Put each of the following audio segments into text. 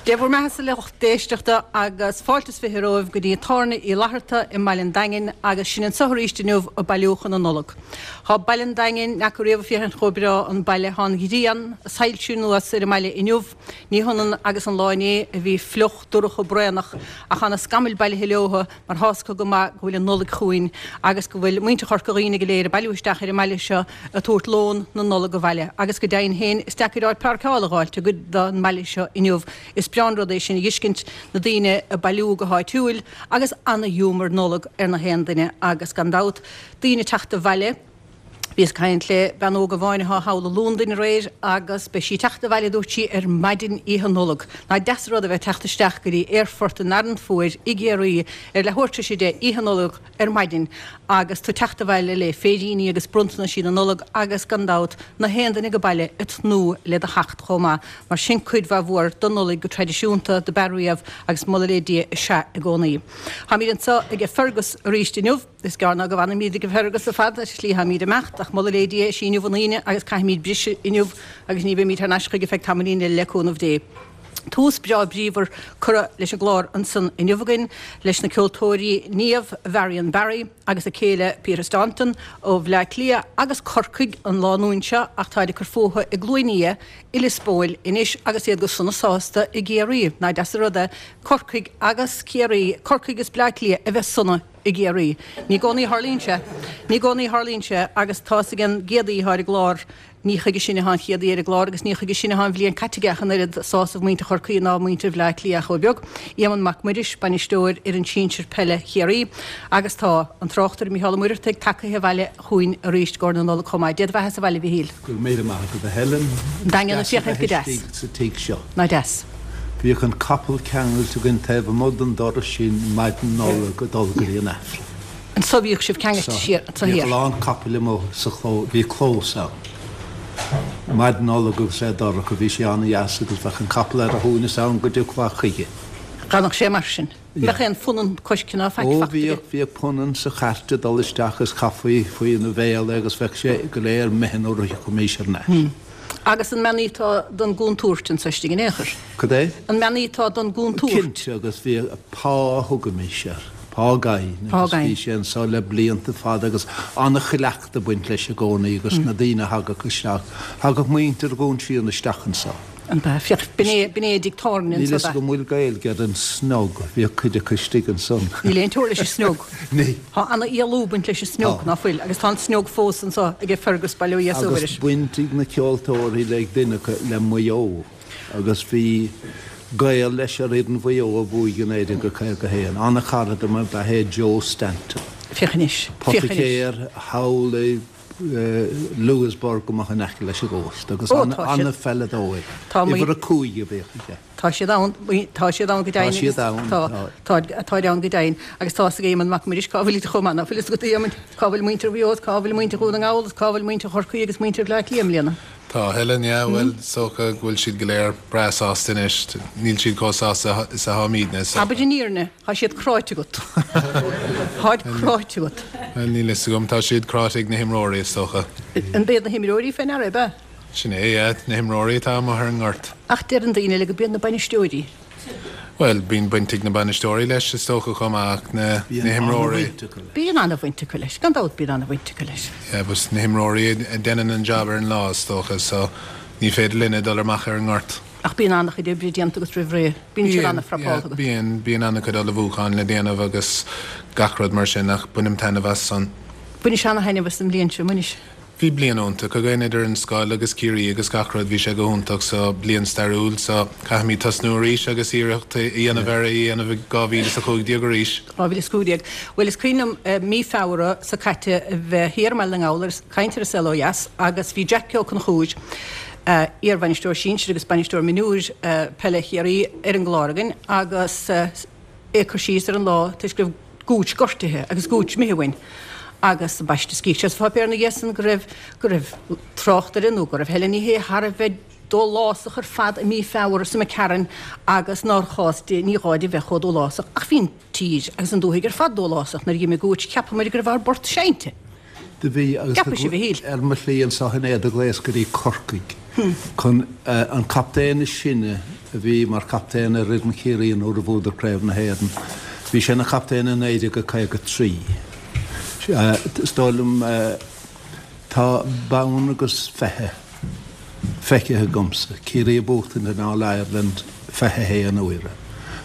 Dé bhur mbeatha-sa a lucht éisteachta agus fáilte is 20 romhaibh go dtí Tábhairne Uí Fhlatharta i mBaile an Daingin agus sinn anso arís inniu ag bailiú chun na Nollag. Thá Baile an Daingin, n'fheaca riamh ag féachaint chomh breá an baile, thá an ghrian ag soilsiú anuas ar an mbaile inniu, ní hionann agus an lá inné a bhí fliuch dorcha braonach ach thá na scamaill bailithe leotha mar thá's acu go maith go bhfuil an Nollaig chugainn agus go bhfuil muintir Chorca Dhuibhne go léir ag bailiú isteach ar an mbaile seo ag tabhairt lón na Nollag abhaile agus go deimhin féin is deacair áit páirceála a dh'fháilt i gcuid den mbaile seo inniu. Is breá an rud é sin a dh'fheiscint, na daoine ag bailiú go háitiúil agus ana-ghiúmar Nollag ar na haon duine agus gan dabht daoine ag teacht abhaile. Bhíos ag caint le bean óg amháin athá thall i Londain aréir agus beidh sí ag teacht abhaile, dúirt sí, ar maidin oíche Nollag. Nach deas an rud a bheith ag teacht isteach go dtí aerfort an Fhearann Fuair i gCiarraí ar leathuair tar éis 10 oíche Nollag ar maidin agus tú ag teacht abhaile le féiríní agus bronntanaisí na Nollag agus gan dabht na haon duine ag baile ag tnúth le do theacht chomh maith mar sin cuid mhaith mhór don Nollaig go traidisiúnta do b'ea riamh agus moladh le Dia is ea i gcónaí. Táimid anseo aige Fergus arís inniu. Is gearr ná go bhfanfaimíd ag Fergus ar fad, ar shlí táimíd ag imeacht, ach moladh lé Dia is í inniu an Aoine agus caithfimíd briseadh inniu agus ní bheimíd thar n-ais chuige feadh tamaillín eile le cúnamh Dé. Tús breá bríomhar curtha leis an gclár ansan inniu againn leis na ceoltóirí Niamh Varian Barry agus a céile Peter Staunton ó Bhleá Cliath agus Corcaigh an lánúin seo ach táid ag cur fúthu i gCluain Fhia i Lios Póil anois agus iad go sona sásta i gCiarraí. Nach deas an rud é Corcaigh agus Ciarraí, Corcaigh is Bleá Cliath a bheith sona i gCiarraí. Ní i gcónaí a tharlaíonn sé. Ní i gcónaí a tharlaíonn sé agus tá's ag an gcéad aoi atá ar an gclár, ní chuige sin atá an chéad aoi ar an gclár agus ní chuige sin atá an bhliain caite aige ach an oiread, sásamh muintir Chorcaí ná muintir Bhleá Cliath chomh beag. Éamonn Mac Muiris, bainisteoir fhoireann sinsir peile Chiarraí agus tá an tráchtaire Mícheál Ó Muircheartaigh tagaithe abhaile chugainn arís i gcomhair na Nollag chomh maith. Dé do bheatha sa bhaile, a Mhichíl. Go raibh míle maith agat a Helen. An Daingean ag féachaint go deas. Istigh sa tigh seo. Ná deas. Bhíodh an capall ceangailte againn taobh amuigh den doras sin maidin Nollag ag dul go dtí an Aifreann. Anso bhíodh sibh ceangailte siar anso thiar. Bhíodh a lán capaill amuigh sa chlós, bhí clós ann. Maidin Nollag agus é dorcha, bhí sé an-dheas agus bheadh an capall ar a shuaimhneas ann go dtiocfá chuige. D'fhanadh sé mar sin. Bheadh aon phunann coiscthe ná faic Ó fachta aige. bhíodh, bhíodh punann sa chairt ag dul isteach is chaithfí faoina bhéal é agus bheadh sé go léir imithe nuair a thiocfaimís thar n-ais. Agus an mbeannaíteá don gcontúirt anso istigh in aon chor? Cad é? An mbeannaíteá don gcontúirt? Cinnte, agus bhíodh, Pa a thugaimis air, Pa Gainn, Pa agus Gainn. bhí sé anso le blianta fada agus an-chuileachta ag baint leis i gcónaí agus na daoine a thagadh isteach, thagadh muintir Dhún Síon isteach anso. An b'ea? Féach, b'in é, b'in é a dtigh tábhairne Níl fhios agam an bhfuil Gaeilge ar an snog, bhíodh cuid acu istigh ansan. Níl aon teora leis an snog. Níl. Tá ana-éalú ag baint leis an snog, ná fuil? Agus tá an snog fós anso aige Fergus, bail ó Dhia is ó Agus Mhuire. baint ag na ceoltóirí le ag duine acu le Maigh Eo agus bhí gaol leis ar fhoireann Mhaigh Eo a bhuaigh i 1951. Ana-chara dom ab ea é Joe Stanton. Féach anois. Féach anois. Poiticéir thall i. Louisburgh amach in aice leis an gcósta agus an-pheileadóir. Uimhir a 5 a bhíodh aige. Tá siad ann, tá siad ann go deimhin. Tá siad ann, tá. Tá, táid ann go deimhin. Agus tá a fhios ag Éamonn Mac Muiris cá bhfuilid chomh maith, ná fuil fhios agat a Éamoinn, cá bhfuil muintir Mhaigh Eo is cá bhfuil muintir Dhún na nGall is cá bhfuil muintir Chorcaí agus muintir Bhleá Cliath i mbliana. Tá, Helen, yeah, bhuel, is dócha go bhfuil siad go léir breá sásta anois. Níl siad chomh sásta is atáimidne, is dócha. Abair an fhírinne, tá siad cráite agat. Táid cráite agat. Bhuel, níl fhios agam, tá siad cráite ag na himreoirí, is dócha. An b'iad na himreoirí fé ndeara, ab ea? Sin é, yeah, na himreoirí atá amuigh ar an ngort. Ach deireann daoine eile go b'iad na bainisteoirí. Bhuel, bíonn baint ag na bainisteoirí leis, is dócha, chomh maith, ach na himreoirí. Bíonn an-bhaint acu leis, gan dabht bíonn an-bhaint acu leis. Yeah, but na himreoirí a deineann an job ar an lá, is dócha, so ní féidir linne dul amach ar an ngort. Ach bíonn an-chuid oibre déanta agat roimh ré, bíonn siad an-phrapálta agat. Bíonn, bíonn an-chuid ullmhúcháin le déanamh agus gach rud mar sin, ach bainim taitneamh as san. Bhainis an-thaitneamh as an mbliain seo, an mbainis? Bhí bliain iontach againn idir an scoil agus Ciarraí agus gach rud, bhí sé go hiontach so bliain stairiúil so caithfimid tosnú arís agus iarracht a dhéanamh ar é a dhéanamh i 2015 arís. 2015. Bhuel is cuimhin liom mí Feabhra seo caite a bheith thiar i mBaile na nGall ag caint ar An Saol Ó Dheas agus bhí Jack Ó Conchúir, iar-bhainisteoir sinsir agus bainisteoir mionúir peile Chiarraí ar an gclár againn agus é ag cur síos ar an lá toisc go raibh Gooch gortaithe agus Gooch imithe uainn agus ambaiste scríobh sé sa pháipéar ina dhiaidh san go raibh, go raibh tráchtaire nó go raibh Helen Ní Shé thar a bheith dólásach ar fad i mí Feabhra sa McCarron agus nár chás di, ní gá di bheith chomh dólásach ach bhí an tír agus an dúthaigh ar fad dólásach nuair a d'imigh Gooch cheapamair go raibh ár bport seinnte. Do bhí agus Ceapadh sibh a shíl. ar mo shlí anso inné do ghlaos go dtí Corcaigh chun an captaen is sine a bhí mar chaptaen ar fhoireann Chiarraí nuair a bhuadar Craobh na hÉireann. Bhí sé ina chaptaen i 1953. Is dóigh liom tá bonn agus 20 feicthe agamsa, Ciarraí ag buachtaint an All Ireland 21 uaire.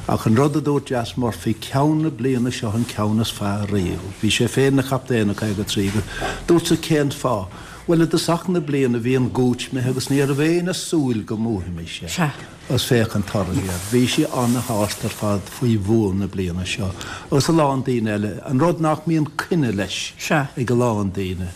Ach an rud a dúirt Jas Murphy, ceann na bliana seo an ceann is fearr riamh. Bhí sé féin ina chaptaen i 53 agus dúrtsa cén fáth? Bhuel i dtosach na bliana bhí an Gooch imithe agus ní raibh éinne ag súil go mbuafaimís é. Sea. Agus féach an toradh air. Bhí sé ana-shásta ar fad faoi bhua na bliana seo agus a lán daoine eile. An rud nach mbíonn coinne leis Sea. ag a lán daoine.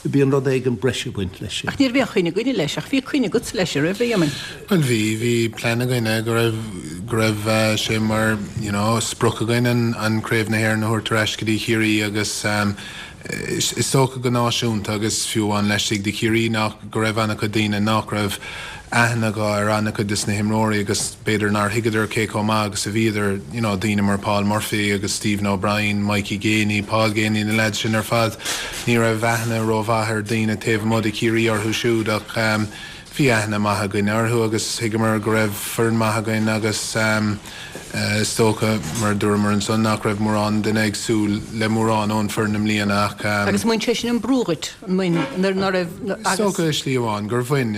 Bíonn rud éigin breise ag baint leis sin. Ach ní raibh aon choinne againne leis, ach bhí coinne agatsa leis, an raibh, a Éamoinn? Bhuel bhí, bhí plean againne go raibh, go raibh sé mar, you know, sprioc againn an, an Craobh na hÉireann a thabhairt ar ais go dtí Chiarraí agus is, is dócha go náisiúnta agus fiú amháin laistigh de Chiarraí nach, go raibh an-chuid daoine nach raibh aithne acu ar an-chuid des na himreoirí agus b'fhéidir nár thuigeadar cé chomh maith agus a bhíodar, you know, daoine mar Paul Murphy agus Stephen O'Brien, Mikey Geaney, Paul Geaney, na leaids sin ar fad, ní raibh aithne rómhaith ar daoine taobh amuigh de Chiarraí orthu siúd ach bhí aithne maith againne orthu agus thuigeamar go raibh foireann maith againn agus is dócha, mar a dúramar ansan, nach raibh mórán duine ag súil le mórán ón foireann i mbliana ach. Agus an mbain sé sin an brú dhuit, an mbain, nuair ná raibh, agus. Is dócha i slí amháin gur bhain.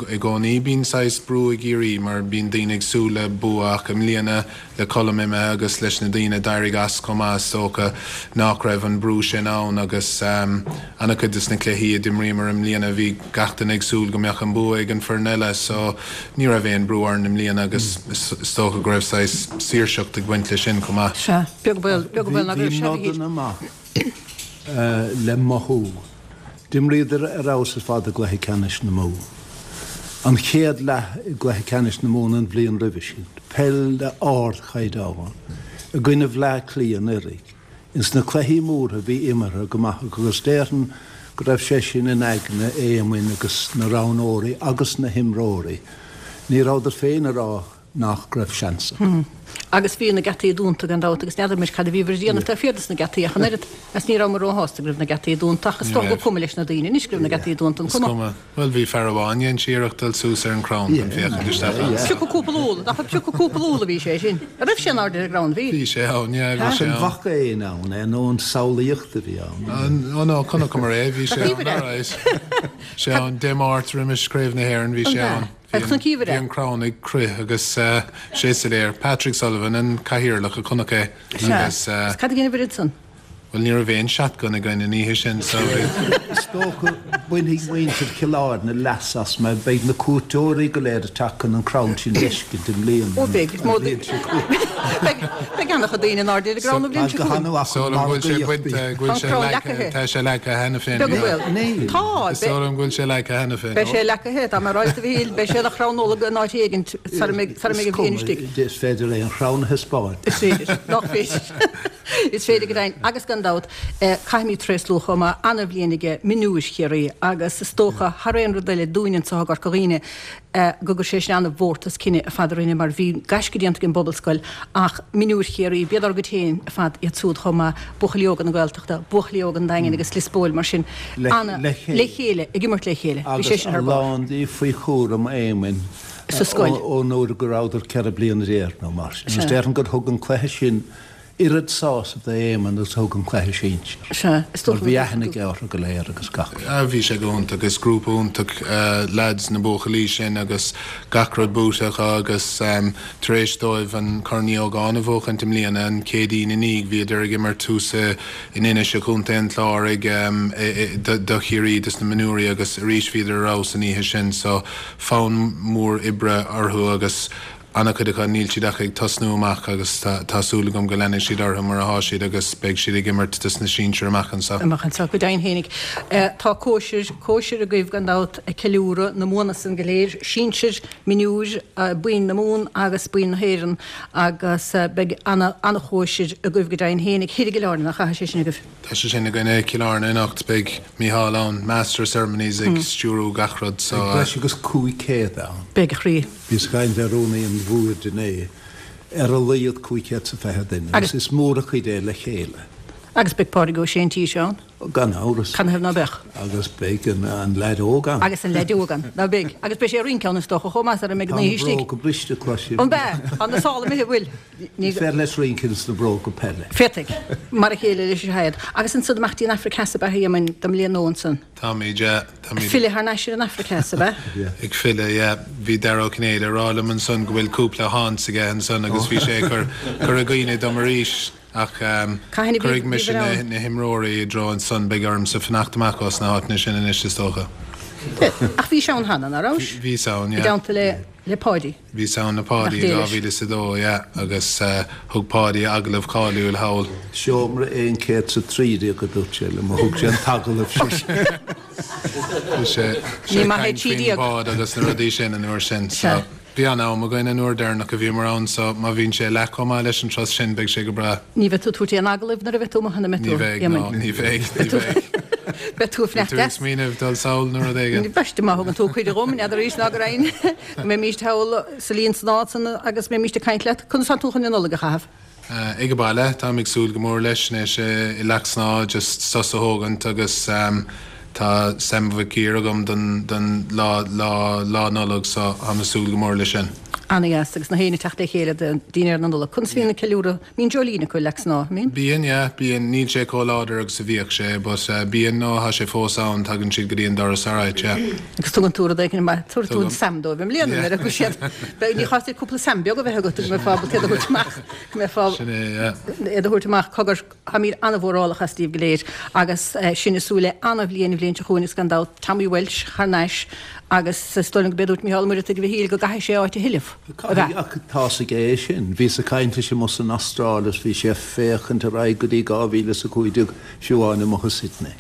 I gcónaí bíonn saghas brú i gCiarraí mar bíonn daoine ag súil le bua ach i mbliana le Colm imithe agus leis na daoine a d'éirigh as chomh maith is dócha nach raibh an brú sin ann agus an-chuid des na cluichí a d'imríomar i mbliana bhí gach duine ag súil go mbeadh an bua ag an foireann eile so ní raibh aon brú orainn i mbliana agus is dócha go raibh saghas saoirseacht ag baint leis sin chomh maith. Sea, beag baol, beag baol ná go raibh sé a Bhí nodanna maith le mothú. D'imríodar ar fheabhas ar fad i gcluiche ceannais na Mumhan. An chéad leath i gcluiche ceannais na Mumhan an bhliain roimhe sin, peil d'ardchaighdeán i gcoinne Bhleá Cliath anuraidh. Ins na cluichí móra bhí imeartha go maith acu agus déarfainn go raibh sé sin in aigne Éamoinn agus na roghnóirí agus na himreoirí. Ní rabhadar féin ag rá nach raibh seans acu. Agus bhí na geataí dúnta gan dabht agus n'fheadar muid cad a bhíobhair a dhéanamh taobh thiar dos na geataí ach an oiread agus ní rabhamar róshásta go raibh na geataí dúnta ach is dócha gur cuma leis na daoine anois go raibh na geataí dúnta, an Is cuma? cuma. Bhuel bhí fear amháin, dhein sé iarracht dul suas ar an crann chun féachaint isteach ann. Piocadh cúpla úll, nach ag piocadh cúpla úll a bhí sé sin? An raibh sé in airde ar an gcrann? Bhí. Bhí sé ann, yeah, bhí sé ann. An bhfaca éinne ann é nó an samhlaíocht a bhí ann? Ó no, chonaiceamar é, bhí sé ann, alright. Sé ann, Dé Máirt roimis Craobh na hÉireann, bhí sé ann. Bhí an crann ag crith agus sé soiléir. Patrick Sullivan, an cathaoirleach, a chonaic é agus. Sea. Cad a dhein an oiread san? Bhuel, ní raibh aon shotgun againn an oíche sin, so bhí. Is dócha, bainfidh muintir Chill Airne leas as mar beidh na cuairteoirí go léir ag teacht chun an crann sin d'fheiscint i mbliana, Ó an beidh, is mó bhliain seo chugainn. Beidh, beidh an-chuid daoine in airde ar an gcrann an bhliain seo chugainn. Is dóigh liom go bhfuil sé bainte, go bhfuil Tá an sé crann leagtha, leacaithe. tá sé leagtha cheana féin. Beag an baol. Níl. Tá, Is dóigh liom go bhfuil sé leagtha cheana féin. Beidh sé leacaithe, tá mé ag rá leat a Mhichíl, beidh sé ina chrann Nollag in áit éigint sara mbeidh, sara mbeidh an bhliain istigh. Is cuma, is féidir aon chrann a thaispeáint. Is féidir, nach féidir. Is féidir go deimhin, agus gan dabht, caithfimid tréaslú chomh maith, ana-bhliain aige mionúir Chiarraí agus is dócha, thar aon rud eile, dúinn anseo i gCorca Dhuibhne, go gcuir sé sin ana-mhórtas cine ar fad orainne mar bhí gaisce déanta ag an bPobalscoil ach mionúir Chiarraí, b'iad ár gcuid féin ar fad iad siúd chomh maith, buachaillí óga na Gaeltachta, buachaillí óga an Daingin agus Lios Póil mar sin, ana, le chéile, ag imirt le chéile, bhí sé Agus sin a thar barr. lán díobh faoi chúram Éamoinn sa scoil. ón uair go rabhadar 14 bliana nó mar sin. Agus déarfainn gur thug an cluiche sin oiread sásaimh d'Éamonn agus a thug an cluiche sinsir. Sea, is Mar dócha bhí go aithne aige orthu go léir agus gach rud. Ah, bhí sé go hiontach. Is grúpa iontach lads na buachaillí sin agus gach rud buaite acu agus tar éis dóibh an Corn Uí Ógáin a bhuachaint i mbliana, an Chéadaoin i ndiaidh, bhíodar ag imirt thuas in Inis i gContae an Chláir ag do Chiarraí dos na mionúirí agus arís bhíodar ar fheabhas an oíche sin so fonn mór oibre orthu agus An-chuid acu, níl siad ach ag tosnú amach agus tá súil agam go leanfaidh siad orthu mar atá siad agus beidh siad ag imirt dos na sinsir amach anseo. Amach anseo, go deimhin fhéinig. Tá cóisir, cóisir agaibh gan dabht ag ceiliúradh na mbuanna san go léir, sinsir, mionúir, boinn na Mumhan agus boinn na hÉireann agus beidh ana, ana-chóisir agaibh go deimhin fhéinig thoir i gCill Airne, nach ea, tá sé sin agaibh? Tá sé sin againn i Cill Airne anocht, beidh Micheál ann, Master of Ceremonies ag stiúrú gach rud so. Beidh breis agus 500 ann. Beidh a chroí. Bhíos ag caint le rúnaí an bhoird inné, ar a laghad 520 duine, agus is mór an chuid é le chéile. Agus beidh Pádraig Ó Sé an tí seo ann? Gan amhras. Canathaobh ná beadh? Agus beidh an leaid óg ann. Agus an leaid óg ann. Ná beidh? Agus beidh sé ag rince ann is dócha chomh maith sara mbeidh an oíche istigh. Tá na bróga briste, cloisim. An bea? Tá na sála imithe, bhfuil? Is féidir leis rince ins na bróga peile. Féadfaidh. Mar a chéile leis an Shaid. Agus ansan amach dtí an Afraic Theas ab ea a Éamoinn don mbliain nua ansan? Táimid, yeah. Táimid. Ag filleadh thar n-ais ar an Afraic Theas, ab ea? Yeah. Ag filleadh, yeah. Bhí Dara Ó Cinnéide ag rá liom ansan go bhfuil cúpla haunts aige ansan agus bhí sé ag cur, cur i gcuimhne dom arís ach Cathain a bhí, cuirfidh bhí mise bhí na, ann? na himreoirí i dtreo ansan, beidh ormsa fanacht amach ós na háiteanna sin anois is dócha. Ach bhís ann cheana, ná rabhais? Bhíos ann, I yeah. dteannta le, le Páidí. Bhíos ann le Páidí i 2002, yeah, agus thug Páidí a agallamh cáiliúil thall. Seomra 113 a dúirt sé liom, a thug sé an t-agallamh sin. Bhí sé Ní ag maith é caint faoin 13. bhád agus na rudaí sin an uair sin, so bhí an-am againn an uair deireanach a bhíomar ann, so má bhíonn sé leath chomh maith leis an turas sin beidh sé go breá. Ní bheidh tú ag tabhairt aon agallaimh nuair a bheidh tú amuigh ann, an mbeidh Ní tú, bheidh, no, Éamoinn? ní bheidh, ní bheidh. Beidh tú ag Bhí fanacht tú ag deas. smaoineamh dul sall nó rud éigin? B'fhéidir má thugann tú cuireadh dhom, n'fheadar arís ná go raghainn. Go mbeimíst thall sa líon san áit san agus mbeimíst ag caint leat. Conas tá tú chun an Nollaig a chaitheamh? Ag an baile. Táim ag súil go mór leis anois i Leac Snámha just sos a thógaint agus tá Sam Mhic Giair agam don don lá lá lá Nollag so táim ag súil go mór leis sin. Ana-dheas agus na héinne ag teacht le chéile do dhinnéar na Nollag. Conas a bhíonn an ceiliúradh? Mbíonn dreoilín acu i Leac Snámha, mbíonn? Bíonn, yeah, bíonn. Níl sé chomh láidir agus a bhíodh sé but bíonn, no, tá sé fós ann, tagann siad go dtí an doras alright, yeah. Agus tugann tú rud éigin maith, tabharfaidh tú an Tugaim. Sam dóibh i mbliana Yeah. nuair a chuaigh siad. Beidh, ní chás duit cúpla Sam beag a bheith agat go mbeifeá ábalta iad a thabhairt amach, go mbeifeá Sin é, yeah. iad a thabhairt amach, cogar, táimid an-mhórálach as daoibh go léir agus sinn ag súil le an-bhliain an bhliain seo chugainn agus gan dabht Tommy Walsh thar n-ais agus is dóigh liom go b'é a dúirt Micheál Ó Muireadhaigh a Mhichíl go gcaithfidh sé áit a thuilleamh. Ab ea? Caithfidh, ach tá's aige é sin. Bhíos ag caint leis amuigh san Astráil is bhí sé ag féachaint ar aghaidh go dtí 2015, fiú amháin amuigh i Sydney.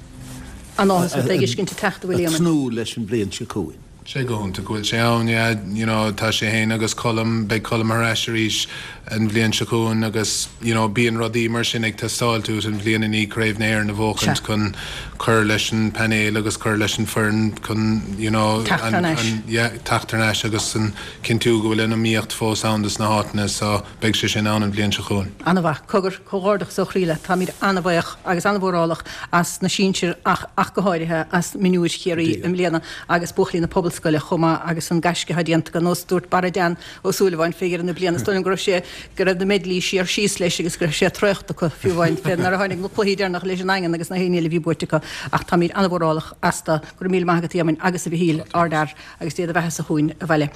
An-áthas ort é a fheiscint ag teacht, a Ag William. tnúth leis an bhliain seo chugainn. Sé go hiontach go bhfuil sé ann, yeah, you know, tá sé fhéin agus Colm, beidh Colm ar ais arís an bhliain seo chugainn agus, you know, bíonn rudaí mar sin ag teastáilt uait an bhliain i ndiaidh Craobh na hÉireann a bhuachaint chun cur leis an painéal agus cur leis an foireann chun, you know, Teacht thar n-ais. yeah, teacht thar n-ais agus an cinntiú go bhfuil an iomaíocht fós ann dos na háiteanna so beidh sé sin ann an bhliain seo chugainn. An-mhaith. Cogar, comhghairdeachas ó chroí leat. Táimid an-bhaoch agus an-mhórálach as na sinsir ach ach go háirithe as mionúir Chiarraí i mbliana agus buachaillí na Pobalscoile. Ollscoile chomh maith agus an gaisce atá déanta acu. Nós dúirt Barra Dan Ó Súilleabháin fé dheireadh na bliana, is dóigh liom go raibh sé, go raibh na meidlí siar síos leis agus go raibh sé traochta acu fiú amháin fé nuair a tháinig na cluichí deireanacha leis an nDaingean agus na héinne eile a bhí buaite acu. Ach táimid an-mhórálach astu. Go raibh míle maith agat a Éamoinn agus a Mhichíl, ardfhear agus Dé do bheathasa chugainn abhaile.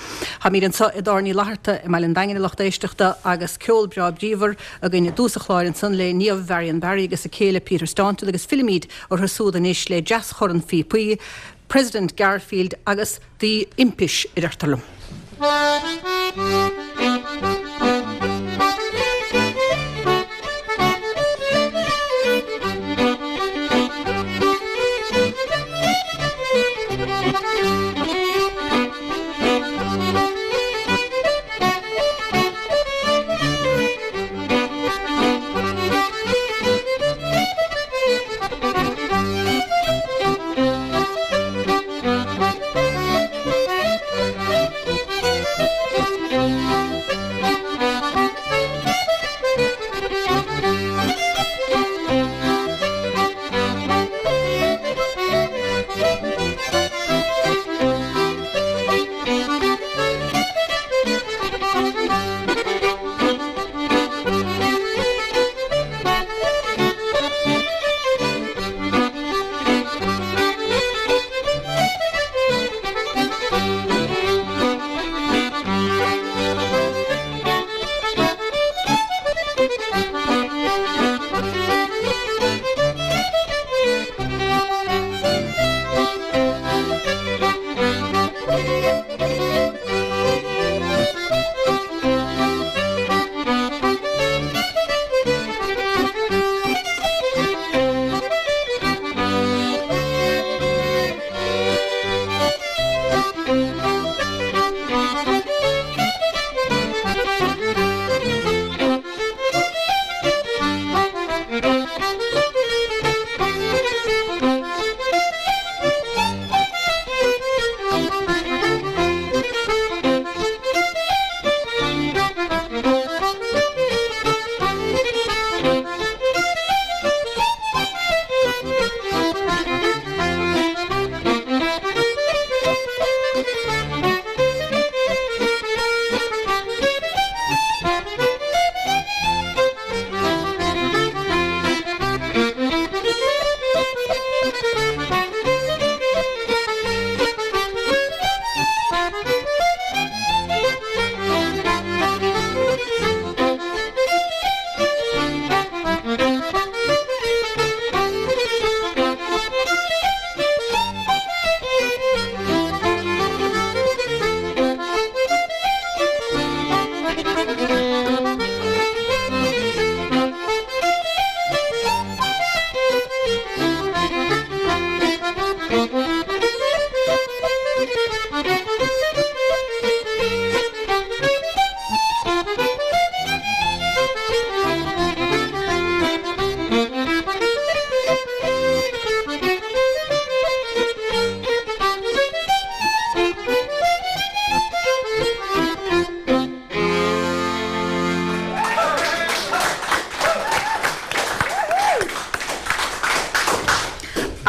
Táimid anseo i dTábhairne Uí Fhlatharta i mBaile an Daingin a lucht éisteachta agus ceol breá bríomhar againn i dtús an chláir ansan le Niamh Varian Barry agus a céile Peter Staunton agus fillimid orthu súd anois le deaschorn phíopaí President Garfield agus The Impish a deirtear liom.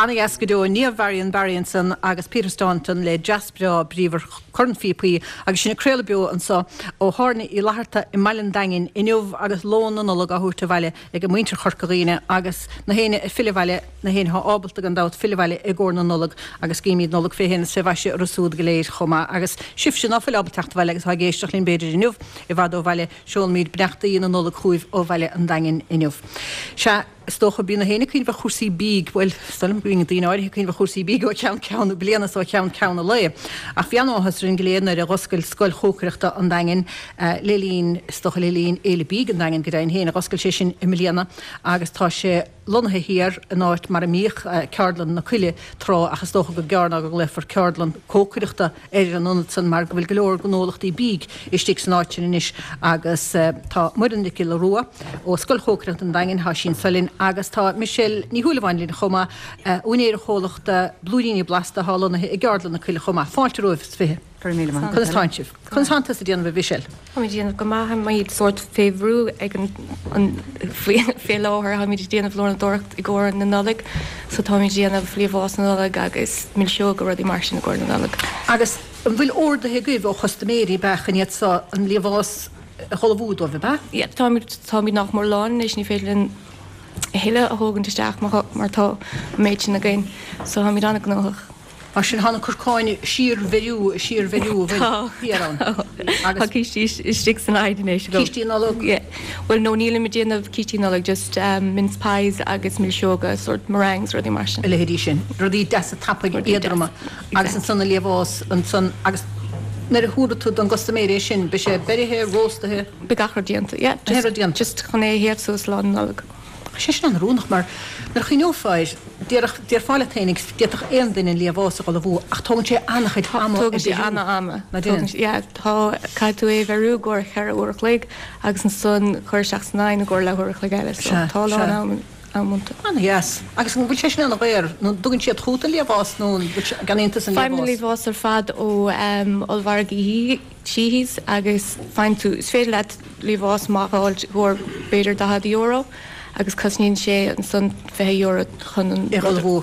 Ana-dheas go deo. Niamh Varian Barry ansan agus Peter Staunton le dreas breá bríomhar corn phíopaí agus sinn ag craoladh beo anso ó Thábhairne Uí Fhlatharta i mBaile an Daingin inniu agus lón na Nollag á thabhairt abhaile ag muintir Chorca Dhuibhne agus na héinne ag filleadh abhaile, na héinne atá ábalta gan dabht filleadh abhaile i gcomhair na Nollag agus guímid Nollaig fé shéan is fé mhaise orthu súd go léir chomh maith agus sibhse ná fuil ábalta teacht abhaile agus atá ag éisteacht linn b'fhéidir inniu i bhfad ó bhaile, seolaimid beannachtaí na Nollag chugaibh ó Bhaile an Daingin inniu. Sea, is dócha, bíonn na héinne ag cuimhneamh ar chúrsaí bídh, bhuel, is dóigh liom go mbíonn daoine áirithe ag cuimhneamh ar chúrsaí bídh ó cheann ceann na bliana is ó cheann ceann an lae. Ach bhí an-áthas orainn go léir nuair a dh'oscail Scoil Chócaireachta an Daingin le linn, is dócha le linn Fhéile Bídh an Daingin go deimhin féin, a dh'oscail sé sin i mbliana agus tá sé lonnaithe thiar in áit mar a mbíodh Ceardlann na Coille tráth ach is dócha gur gearr ná go nglaofar ceardlann cócaireachta ar an ionad san mar go bhfuil go leor gnólachtaí bídh istigh san áit sin anois agus tá Muireann Nic Giolla Rua ó Scoil Chócaireachta an Daingin, tá sí anso linn agus tá Michelle Ní Shúilleabháin linn chomh maith, úinéir an chomhlachta Blúiríní Blasta atá lonnaithe i gCeardlann na Coille chomh maith. Fáilte romhaibh is 20. Go raibh míle maith. Conas tánn sibh? Conas tánn tusa ag déanamh a Mhichelle? Táimid ag déanamh go maith, táimid sórt fé bhrú ag an fé láthair, táimid ag déanamh lónadóireacht i gcomhair na Nollag so táimid ag déanamh liamhás na Nollag agus milseoga rudaí mar sin i gcomhair na Nollag. Agus an bhfuil orduithe agaibh ó chustaiméirí ab ea chun iad so an liamhás a dh'ullmhú dóibh, ab ea? Yeah, táimid, táimid nach mór lán anois, ní féidir linn a thuilleadh a thógaint isteach mar tá an méid sin againn so táimid an-ghnóthach. Mar sin, tá na corcáin ag síorbheiriú, ag síorbheiriú, an bhfuil? Thiar ann. Tá cístí istigh san oigheann anois agam. Cístí Nollag? Yeah. Bhuel, no, nílim ag déanamh cístí Nollag, just mince pies agus milseoga, sort meringues, rudaí mar sin. A leithéidí sin. Rudaí deasa tapaidh, éadroma. Agus ansan an liamhás, ansan, agus nuair a thabharfaidh tú don gcustaiméir é sin, beidh sé beirithe, róstaithe? Beidh gach rud déanta, yeah. Gach rud déanta. Just chun é a théamh suas lá na Nollag. Tá sé sin an-oiriúnach mar nuair a chuimhneofá air, déarfadh, déarfá leat féinig, d'fhéadfadh aon duine an liamhás a dh'ullmhú ach tógann sé an-chuid ama a Tógann sé an-ama. Ná déanann? Yeah, tá, caithfidh tú é a bheiriú i gcomhair cheithre uair a chloig agus ansan cur isteach san oigheann i gcomhair leathuair a chloig eile so tá a lán am, am iontu. An-dheas. Agus an bhfuil sé sin an-dhaor? Nó an dtugann siad chugat an liamhás nó an bhfuil sé, an gceannaíonn tusa an liamhás? Faighim an liamhás ar fad ó ollmhargaí Sheehy's agus faigheann tú, is féidir leat liamhás maith a fháil i gcomhair b'fhéidir €40 agus cosnaíonn sé ansan €20 chun an rud a ullmhú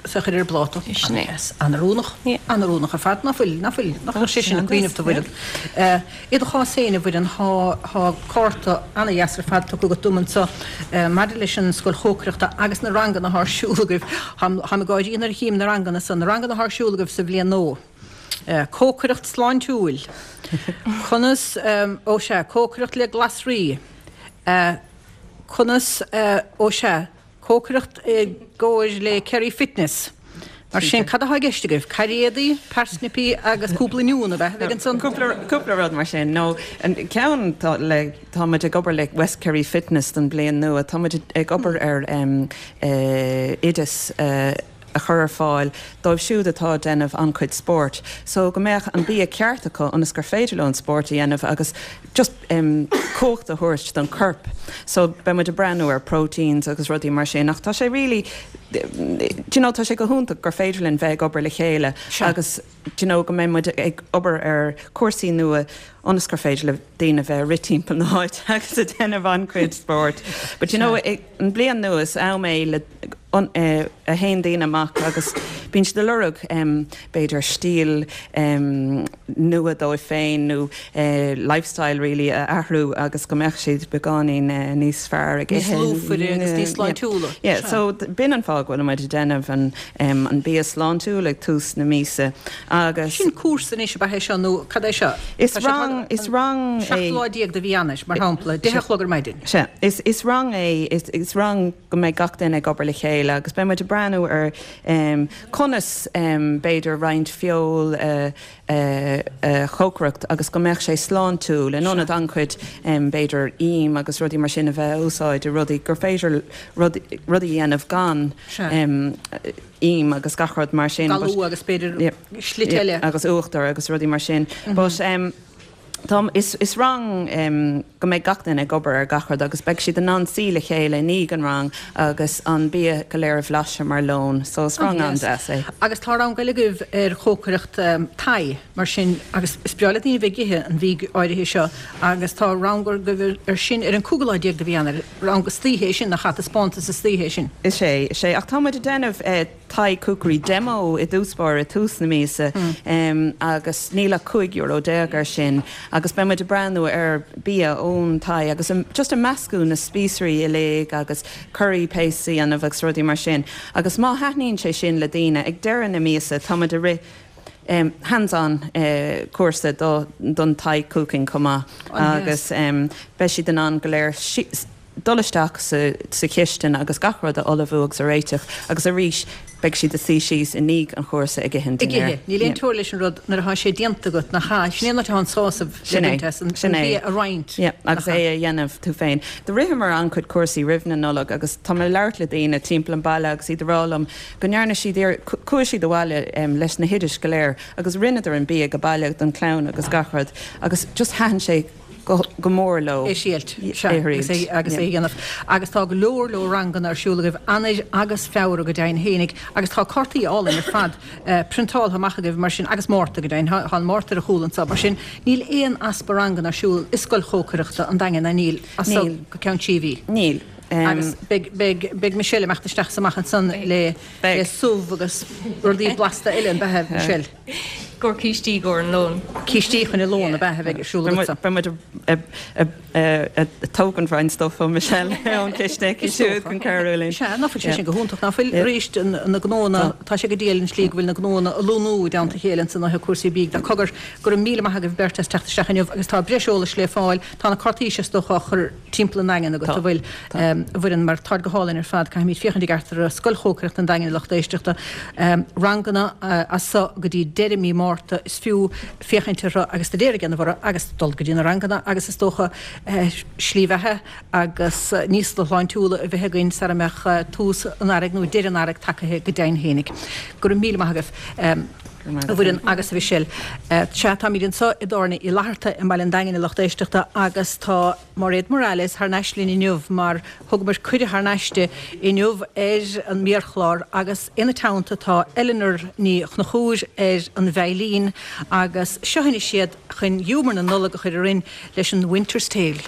is a chur ar an bpláta. Sin é. An-oiriúnach. An-oiriúnach ar fad. Ná fuil, ná fuil, nach bhfuil sé sin ag cuimhneamh a Mhuireann. I do chás féin, a Mhuireann, thá, thá cárta an-dheas ar fad tugtha agat dom anso maidir leis an scoil chócaireachta agus na ranganna athá ar siúl agaibh. Táim, táim ag gáirí nuair a chím na ranganna san, na ranganna athá ar siúl agaibh sa bhliain nua. Cócaireacht sláintiúil. Conas, ó sea, cócaireacht le glasraí. Conas, ó sea, cócaireacht i gcomhair le Kerry Fitness. Mar sin, cad atá i gceist agaibh? Cairéadaí, parsnipí agus cúpla oinniún, ab ea, a bheidh ansan? Cúpla rud mar sin. Nó an ceann tá le, tá muid ag obair le West Kerry Fitness don bhliain nua. Tá muid ag obair ar oideas a chur ar fáil dóibh siúd atá ag déanamh an-chuid spóirt so go mbeadh an bia ceart acu ionas gur féidir leo an spórt a dhéanamh agus just cumhacht a thabhairt don chorp. So beidh muid ag breathnú ar proteins agus rudaí mar sin ach tá sé really do you know tá sé go hiontach gur féidir linn bheith ag obair le chéile agus do you know go mbeidh muid ag obair ar chúrsaí nua ionas gur féidir le daoine bheith ag rith timpeall na háite agus ag déanamh an-chuid spóirt. But you know an bliain nua is am é le a théann daoine amach agus bíonn siad ag lorg b'fhéidir stíl nua dóibh féin nó lifestyle really a athrú agus go mbeadh siad beagáinín níos fearr ag ithe. Níos lúfaire agus níos sláintiúla. Yeah, so b'in an fáth go bhfuil muid ag déanamh an an bia sláintiúil ag tús na míosa agus. Sin cúrsa anois ab ea é seo nó cad é seo? Is rang, is rang é. 17 lá de mhí Eanáir, mar shampla, 10 a chlog ar maidin. Sea, is, is rang é, is, is rang go mbeidh gach duine ag obair le chéile agus beidh muid ag breathnú ar conas b'fhéidir roinnt feoil a, a chócaireacht agus go mbeadh sé sláintiúil in ionad an-chuid b'fhéidir im agus rudaí mar sin a bheith a úsáid i rudaí gur féidir rudaí a dhéanamh gan im agus gach rud mar sin. Galú agus b'fhéidir slite eile. Agus uachtar agus rudaí mar sin. But tá, is, is rang go mbeidh gach duine ag obair ar gach rud agus beidh siad in ann suí le chéile i ndiaidh an rang agus an bia go léir a bhlaiseadh mar lón. So is rang an-deas é. Agus tá rang eile agaibh ar chócaireacht Thai mar sin agus is breá le daoine bheith ag ithe an mhí áirithe seo agus tá rang agaibh ar sin ar an cúigiú lá déag de mhí Eanáir. Rang istoíche é sin, nach ea? Taispeántas istoíche é sin. Is ea, is ea. Ach tá muid ag déanamh Thai Cookery Demo i dtús báire, tús na míosa, agus níl ach €15 euro air sin agus beidh muid ag breathnú ar bia ón Thai agus just ag meascadh na spíosraí uilig agus curry paste a dhéanamh agus rudaí mar sin. Agus má thaitníonn sé sin le daoine, ag deireadh na míosa tá muid ag rith hands-on cúrsa don Thai cooking chomh maith agus beidh siad in ann go léir dul isteach sa chistin agus gach rud a ullmhú agus a réiteach agus arís beidh siad ag suí síos i ndiaidh an chúrsa ag ithe an Ag ithe. Níl aon teora leis an rud nuair atá sé déanta agat, nach ea? Sin é an áit atá an sásamh le baint as, an bia a roinnt. Yeah, agus é a dhéanamh tú féin. Do ritheamar an-chuid cúrsaí roimh na Nollag agus tá mé ag labhairt le daoine timpeall an baile agus iad ag rá liom go ndearna siad iar, chuaigh siad abhaile leis na hoidis go léir agus rinneadar an bia go baile don chlann agus gach rud agus just thaitin sé. go mór leo. É thriailt, sea, agus é agus é a dhéanamh. Agus tá go leor leor ranganna ar siúl agaibh, Eanáir agus Feabhra go deimhin fhéinig, agus tá cártaí álainn ar fad priontáltha amach agaibh mar sin, agus Márta go deimhin, tá an Márta ar a chúl anseo, mar sin níl aon easpa ranganna ar siúl i Scoil Chócaireachta an Daingin, ná níl, as seo go ceann trí mhí. Níl. Agus beidh, beidh, beidh Michelle ag imeacht isteach is amach ansan le, le subh agus rudaí blasta eile, an beatha, Michelle? Gur cístí gcomhair an lóin. Cístí chun an lóin, an beatha a bheidh ar siúl agatsa. Beidh muid ag tógaint roinnt stuif ó Michelle ón chistin aici siúd chun cabhrú linn. Sea, ná fuil sé sin go hiontach, ná fuil? Arís, na gnóanna, tá sé go diail an tslí go bhfuil na gnóanna ag lonnú i dteannta a chéile ansan ó thaobh cúrsaí bídh de. Cogar, go raibh míle maith agaibh beirt as teacht isteach inniu agus tá breis eolais le fáil, tá na cártaí seo is dócha á chur timpeall an Daingin agat, an bhfuil, a Mhuireann, mar táid go hálainn ar fad, caithfimid féachaint i gceart ar Scoil Chócaireachta an Daingin a lucht éisteachta. Ranganna as so go dtí deireadh mí Márta, is fiú féachaint orthu agus staidéar a dhéanamh orthu agus dul go dtí na ranganna agus is dócha slí bheatha agus níos sláintiúla a bheith againn sara mbeadh tús an earraigh nó deireadh an earraigh tagaithe go deimhin fhéinig. Go raibh míle maith agaibh. A Mhuireann agus a Mhichelle. Sea, táimid anseo i dTábhairne Uí Fhlatharta i mBaile an Daingin a lucht éisteachta agus tá Mairéad Morales thar n-ais linn inniu mar thugamar cuireadh thar n-ais di inniu ar an mbiachlár agus ina teannta tá Eleanor Ní Chonchúir ar an veidhlín agus seo anois iad chun giúmar na Nollag a chur orainn leis an Winter's Tale.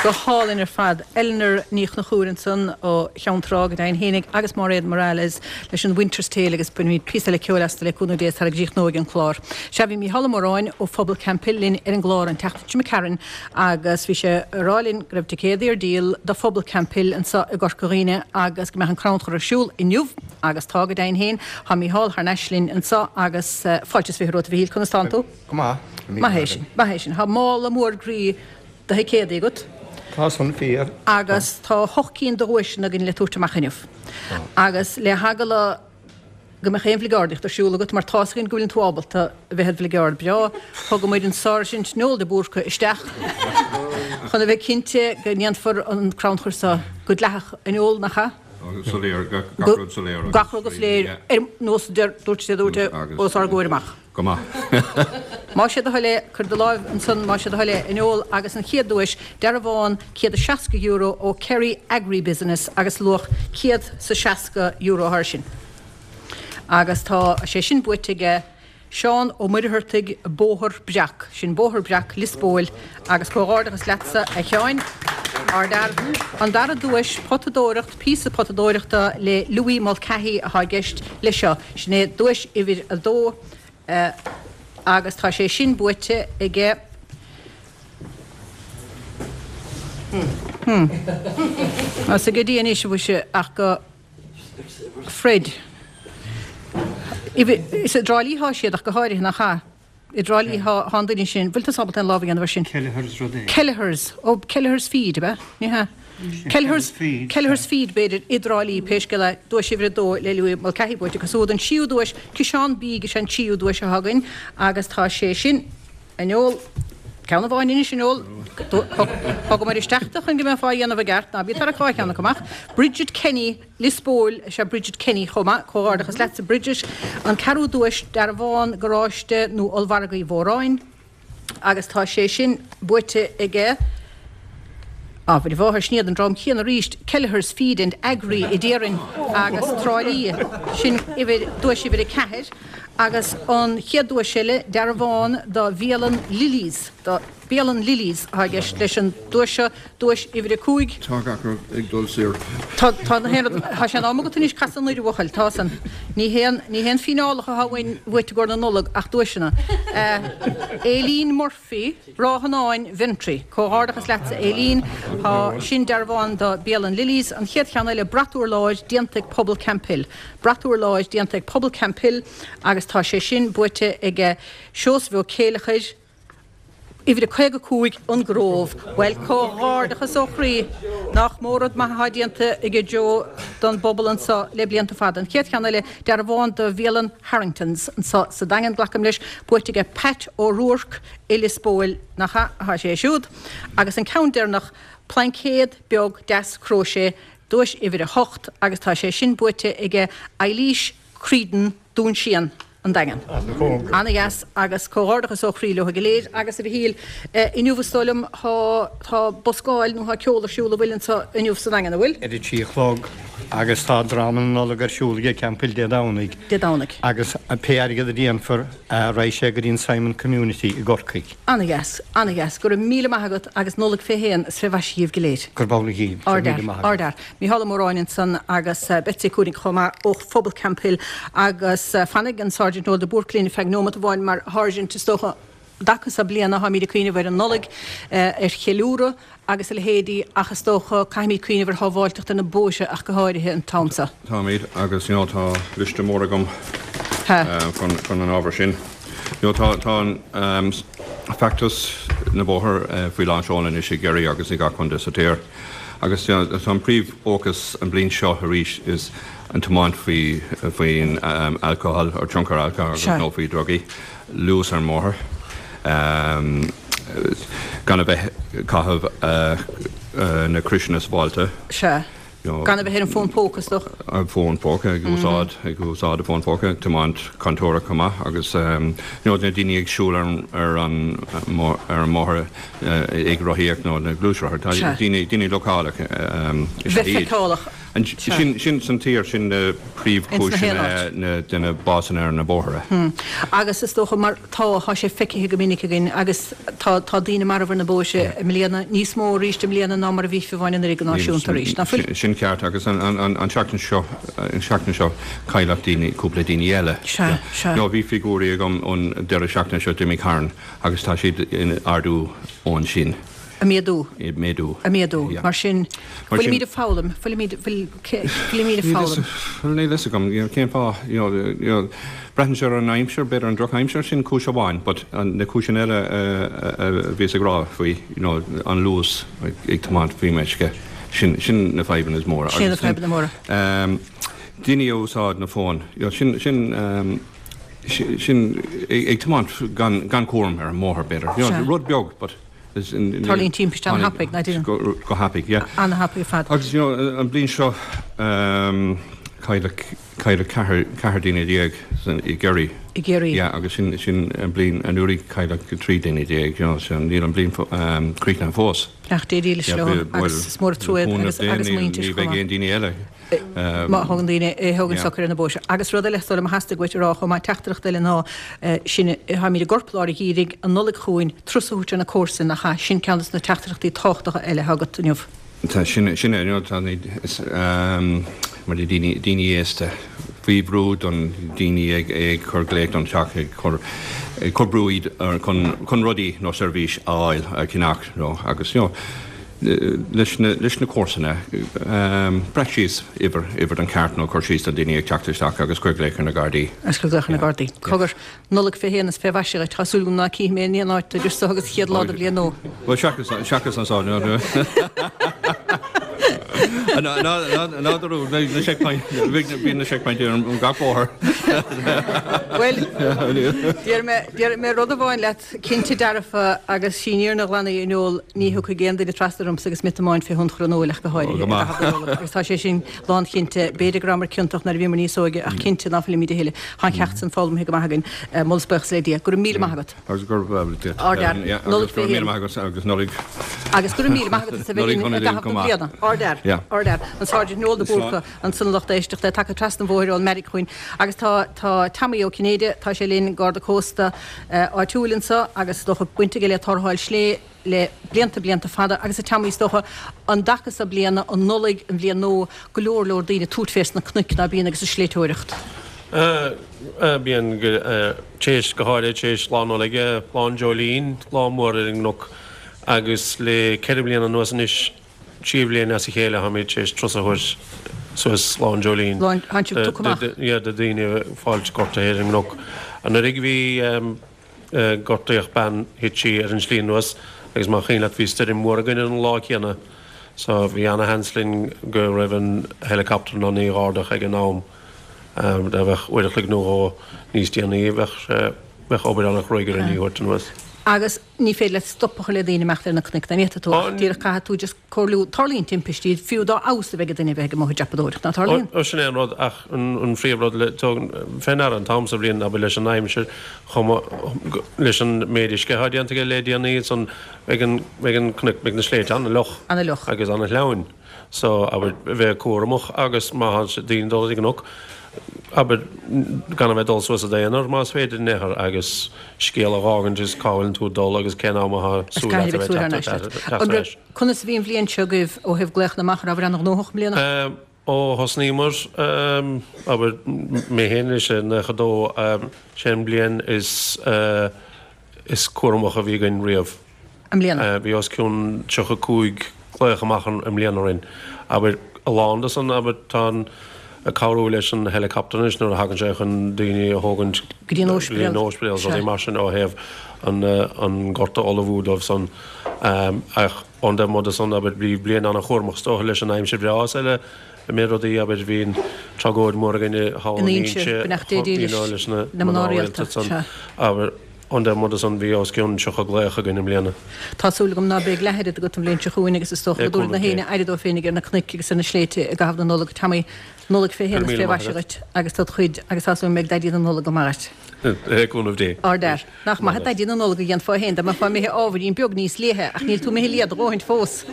Go hálainn ar fad. Eleanor Ní Chonchúir ansan ó Cheann Trá go deimhin fhéinig agus Máiréad Morales leis an Winter's Tale agus bainfimid píosa eile ceoil astu le cúnamh Dé sara gcríochnóidh an clár. Sea, bhí Mícheál Ó Móráin ó Phobal Camphill linn ar an gclár an tseachtain seo imigh tharainn agus bhí sé ag rá linn go raibh ticéadaí ar díol do Phobal Camphill anso i gCorca Dhuibhne agus go mbeadh an crannchur ar siúl inniu agus tá go deimhin féin. Tá Mícheál thar n-ais linn anso agus fáilte is 20 romhat a Mhichíl, conas tánn tú? Go maith. Maith é sin, maith é sin. Tá mála mór groí de thicéadaí agat. Tá san fíor. Agus tá hocht cinn de dhuaiseanna againn le tabhairt amach inniu. Agus le heagla go mbeadh aon bhligeardaíocht ar siúl agat, mar tá's againn go bhfuileann tú ábalta a bheith id bhligeárd breá, thugamair an Sáirsint Noel de Búrca isteach chun a bheith cinnte go ndéanfar an crannchur seo go dleathach a Noel, nach ea? Soiléir, gach rud soiléir. Gach rud go soiléir, ar nós a dúirt sé, dúirt é os ár gcomhair amach. Go maith. Más é do thoil é, cuir do láimh ansan, más é do thoil é, a Noel, agus an chéad duais, dearbhán €160 ó Kerry Agri Business agus luach €160 thar sin. Agus tá sé sin buaite aige Seán Ó Muircheartaigh, Bóthar Breac. Sin Bóthar Breac, Lios Póil, agus comhghairdeachas leatsa, a Sheáin. Ardfhear. An dara duais, potadóireacht, píosa potadóireachta le Louis Mulcahy atá i gceist leis seo. Sin é duais uimhir a dó agus tá sé sin buaite aige. Hmm. Tá ag Dia anois, a mhuise, ach go Fred. Is i dTrá Lí atá siad ach go háirithe, nach ea? I dTrá Lí thá an duine sin, bhfuil tusa ábalta aon lámh a dhéanamh air sin? Kelleher's rud éigin. Kelleher's, ó Kelleher's Feed, ab ea? Ní hea? Kelleher's Feed. Kelleher's Feed, b'fhéidir, i dTrá Lí, pé scéal é, duais uimhir a dó le Louis Mulcahy buaite acu siúd. An tríú duais, Ciseán Bídh is ea an tríú duais atá againn agus tá sé sin, a Noel, ceann amháin anois, a Noel, thugamar isteach tu chun go mbeifeá á dhéanamh i gceart, ná bí ag tarrac dhá cheann acu amach. Bridget Kenny, Lios Póil is ea Bridget Kenny chomh maith. Comhghairdeachas leatsa Bridget. An ceathrú duais, dearbhán garáiste nó Ollmhargadh Uí Mhóráin agus tá sé sin buaite aige, á mhuire mháthair, sin iad an dream céanna arís, Kelleher's Feed and Agri i dTiarainn agus Trá Lí. Sin uimhir, duais uimhir 4. Agus an chéad duais eile, dearbhán do bhialann Lily's, do. Bialann Lily's atá i gceist leis an duais seo, duais uimhir 5. Tá gach rud ag dul soir. Tá, tá na haon rud, tá sé in am agat anois casadh anoir a bhuachaill, tá san. Ní haon, ní haon fíneálacha atá uainn uait i gcomhair na Nollag ach duaiseanna. Aileen Murphy, Ráth an Áin, Ventry. Comhghairdeachas leatsa Aileen. Tá sin dearbhán do Bialann Lily's. An chéad cheann eile, brat urláir déanta ag Pobal Camphill. Brat urláir déanta ag Pobal Camphill agus tá sé sin buaite aige Seosamh Ó Céileachair, Uimhir a 55, An Grove. Bhuel, comhghairdeachas ó chroí. Nach mó rud maith atá déanta aige Joe don bpobal anso le blianta fada. An chéad cheann eile, dearbhán do bhialann Harringtons anso sa Daingean, glacaim leis, buaite aige Pat O'Rourke i Lios Póil, nach ea atá sé siúd. Agus an ceann deireanach, plaincéad beag deas cróisé, duais uimhir a hocht, agus tá sé sin buaite aige Eilís Creedon, Dún Síon. An Daingean. Ana-dheas agus comhghairdeachas ó chroí leo go léir. Agus a Mhichíl, inniu is dóigh liom tá tá buscáil nó tá ceol ar siúl an bhfuil anseo inniu sa Daingean, an bhfuil? Ar a trí a chlog agus tá dráma na Nollag ar siúl ag Camphill Dé Domhnaigh. Dé Domhnaigh. Agus pé airgead a dhéanfar raghaidh sé go dtí an Simon Community i gCorcaigh. Ana-dheas, ana-dheas. Go raibh míle maith agat agus Nollaig fé shéan is fé mhaise dhíbh go léir. Gurb amhlaidh dhíbh. Go raibh míle maith agat. Ardfhear, ardfhear. Mícheál Ó Móráin ansan agus Betsy Cooney chomh maith ó Phobal Camphill agus fanfaidh an Sáirsint Noel de Búrca linn ar feadh nóimeat amháin mar Sháirsint is dócha an dtaca seo bliana táimid ag cuimhneamh ar an Nollaig, ar cheiliúradh agus a leithéidí ach is dócha caithfimid cuimhneamh ar shábháilteacht ar na bóithre ach go háirithe an t-am seo. Táimid agus you know tá liosta mór agam chun an ábhar sin. You know tá tá an feachtas na bóthar faoi lán seoil anois i gCiarraí agus i gach contae sa tír. Agus tá an príomhfhócas an bhliain seo arís is an tiomáint faoi faoin alcohol or tionchar alcohol agus nó faoi drugaí, luas ar an mbóthar, gan a bheith ag caitheamh na criosanna sábháilte. Sea. Gan a bheith ar an bhfón póca, is dócha. An fón póca, ag úsáid, ag úsáid an fón póca, tiomáint contúirteach chomh maith agus you know na daoine ag siúl ar ar an ar an mbóthar ag rothaíocht nó na gluaisrothair, tá daoine, daoine leochaileach is ea iad. Bheith feiceálach. Sin, sin san tír, sin na príomhchúiseanna na, de na básanna ar na bóithre. Agus is dócha mar tá, tá sé feicthe go minic againn agus tá, tá daoine marbh ar na bóithre i mbliana, níos mó arís i mbliana ná mar a bhí fiú amháin anuraidh go náisiúnta arís, ná fuil? Sin ceart agus an, an, an, an tseachtain seo, an tseachtain seo cailleadh daoine, cúpla daoine eile. Sea, sea. Nó bhí figiúirí agam ón deireadh seachtaine seo d'imigh tharainn agus tá siad ag ardú ón sin. Ag méadú. Ag méadú. Ag méadú. Mar sin, fuilimid ag foghlaim, fuilimid, fuilimid ag foghlaim. Níl a fhios agam, you know, cén fáth, you know, you know, braitheann sé ar an aimsir, b'fhéidir an drochaimsir, sin cúis amháin, but na cúiseanna eile a bhíos ag rá faoi, you know, an luas ag tiomáint faoi meisce, sin, sin na fadhbanna is móra. Sin na fadhbanna móra. Daoine a úsáid na fóin, you know, sin, sin, sin ag tiomáint gan, gan cúram ar an mbóthar, b'fhéidir, you know, rud beag, but. Tarlaíonn timpiste an-thapaidh, ná deineann? Go thapaidh, yeah. An-thapaidh ar fad. Agus, you know, an bhliain seo, cailleadh, cailleadh ceathrar, 14 daoine i gCiarraí. I gCiarraí. Yeah, agus sin, sin an bhliain anuraidh cailleadh 13 daoine, you know, so níl an bhliain críochnaithe fós. Ach Dia dílis leo agus is mór an trua iad agus, agus a muintir chomh maith. Ní bheidh aon daoine eile. Má thagann daoine, thógann socair ar na bóithre. Agus rud eile is dóigh liom a theastaigh uait a rá chomh maith, teachtaireacht eile ná sin, táimid i gcorplár an gheimhridh, an Nollaig chugainn, turas a thabhairt ar na comharsana, nach ea? Sin ceann de na teachtaireachtaí tábhachtacha eile atá agat inniu. Tá, sin, sin é, tá, is, mar de daoine, daoine aosta, faoi bhrú don daoine ag, ag cur glaoch don teach, ag cur, ag cur brú iad chun, chun rudaí nó seirbhís a fháil, a cheannach, nó agus, you know, leis na comharsana, breac síos uimhir, uimhir don cheart nó cuir síos do daoine ag teacht isteach agus cuir glaoch ar na Gardaí. Agus cuir glaoch ar na Gardaí. Cogar, Nollaig fé shéan is fé mhaise dhuit. Tá súil agam ná cífidh mé in aon áit idir seo agus chéad lá de bhliain nua. Bhuel, seachas, seachas anso, ná, ná, na checkpoint, bíonn na checkpoint ar an gach bóthar. Bhuel, déarfaidh mé, déarfaidh mé rud amháin leat. Cinnte dearfa, agus sí an fhírinne ghlan í a Noel, ní thiocfaidh aon duine trasna ormsa agus mé ag tiomáint fé thionchar an óil ach go háirithe, i gcaitheamh na Nollag, agus tá sé sin lánchinnte. B'fhéidir go rabhamar ciontach nuair a bhíomar níos óige, ach cinnte ná fuilimid a thuilleadh. Tá an ceacht san foghlamtha go maith againn. Moladh is buíochas le Dia. Go raibh míle maith agat. Agus go raibh duit. Ardfhear. Nollaig fé shéan. Agus agus Nollaig. Agus go raibh míle maith agat as a bheith linn i gcaitheamh na bliana. Ardfhear. Ardfhear. An Sáirsint Noel de Búrca. Ansan a lucht éisteachta, tagtha trasna an bhóthair ón mBeairic chugainn agus tá tá Tommy Ó Cinnéide, tá sé linn, Garda Cósta áitiúil anso agus is dócha baint aige le tarrtháil slé le blianta blianta fada agus a Tommy is dócha an dtaca so bliana, an Nollaig, an bhliain nua, go leor leor daoine ag tabhairt fés na cnoic ná bíonn agus ag sléibhteoireacht. Bíonn, téis, go háirithe téis Lá Nollag, Lá an Dreoilín, lá mór ar an gcnoc agus le ceithre bliana anuas anois, 3 bhliain as a chéile táimid tar éis turas a thabhairt suas Lá an Dreoilín do dhaoine ag fáilt gortaithe ar an gcnoc. Anuraidh bhí gortaíodh bean, thit sí ar an tslí anuas agus más cuimhin leat bhí stoirm mhór againn ar an lá céanna so bhí ana-sheans linn go raibh an helicopter in ann í a dh'ardach ag an am. Dá bheadh uair a chloig nó dhó níos déanaí bheadh sé, bheadh obair ana-chruaidh orainn í a thabhairt anuas. Agus ní féidir leat stop a chur le daoine imeacht ar na cnoic, ná ní fhéadfaidh tú ach díreach caithfidh tú just comhairliú, tarlaíonn timpistí, fiú dá fheabhas a bheidh ag duine a bheith ag amuigh ag dreapadóireacht, ná tarlaíonn? Ó sin é an rud ach an phríomh rud le tóg fé ndeara an t-am sa bhliain abair leis an aimsir chomh maith leis an méid uisce atá déanta aige le déanaí ansan beidh an beidh an cnoic beidh na sléibhte ana-fhliuch Ana-fhliuch. agus ana-shleamhain. So, abair, bheith cúramach agus má tá daoine ag dul ar an gcnoc, abair, gan a bheith ag dul suas i d'aonar más féidir in aon chor agus scéal a dh'fhágaint is cá bhfuileann tú ag dul agus cén am atá súil leat a bheith ag teacht ar ais. Conas a bhí an bhliain seo agaibh ó thaobh glaochanna amach, an rabhabhair an-ghnóthach i mbliana? Ó thosnaíomar, abair, mé féin anois i 92, sé an bhliain is is cúramach a bhí againn riamh. I mbliana. Bhí os cionn 35 glaoch amach i mbliana orainn. Abair, a lán de san, abair, tá an, ag cabhrú leis an helicopter anois nuair a thagann sé chun daoine a thógaint Go dtí an óispidéal. Go dtí an óispidéal, rudaí mar sin ó thaobh an, an gorta a ullmhú dóibh san. Ach ón dtaobh amuigh de san, abair, bhí bliain an-chúramach is dócha leis an aimsir bhreá is eile, i méid rudaí, abair, bhí an tragóid mhór againn thall in Inse, beannacht Dé dílis leis na mná rialta san, abair. Ón dtaobh amuigh de san bhí os cionn 30 glaoch againn i mbliana. Tá súil agam ná beidh leath oiread agat an bhliain seo chugainn agus is dócha go dtabharfaidh na héinne aire dóibh féinig ar na cnoic agus ar na sléibhte i gcaitheamh na Nollag. Tommy, Nollaig fé shéan is fé mhaise dhuit agus dod chuid agus tá súil agam go mbeidh Daidí na Nollag go maith dhuit. Le cúnamh Dé. Ardfhear. Nach maith Daidí na Nollag a dhéanfá féin dá mbeifeá imithe ábhairín beag níos liatha, ach níl tú imithe liath do dhóthaint fós.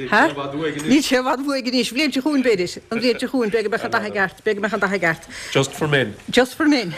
Ha? Níl sé i bhfad uaidh anois. Bhliain seo chugainn, b'fhéidir. An bhliain seo chugainn, b'fhéidir go mbeadh an dath i gceart, b'fhéidir go mbeadh an dath i gceart. Just for men. Just for men.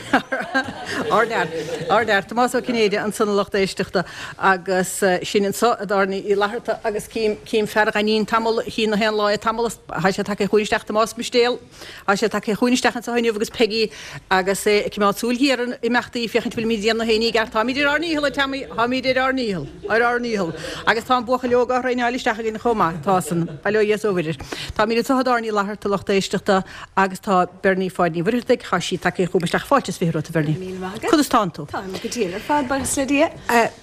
Ardfhear. Ardfhear. Tomás Ó Cinnéide ansan a lucht éisteachta agus sinn anso i dTábhairne Uí Fhlatharta agus cím, cím fear Ghainín tamall, chí na haon lá é tamall, tá sé tagtha chugainn isteach, Tomás Mistéal. Tá sé tagtha chugainn isteach anseo inniu agus Peigí agus é ag coimeád súil ghéar ar na imeachtaí féachaint bhfuilimid ag déanamh na haon ní i gceart. Táimid ar ár ndícheall, a Teamaí, táimid ar ár ndícheall, ar ár ndícheall. Agus tá an buachaill óg á thraenáil isteach againn chomh maith. Tá san. Bail ó Dhia is ó Mhuire air. Táimid anseo i dTábhairne Uí Fhlatharta, lucht éisteachta, agus tá Bernie Pháid Ní Mhuircheartaigh, tá sí tagtha chugam isteach. Fáilte is 20 romhat, a Bhernie. Míle maith agat. Conas tánn tú? Táim go diail ar fad, buíochas le Dia.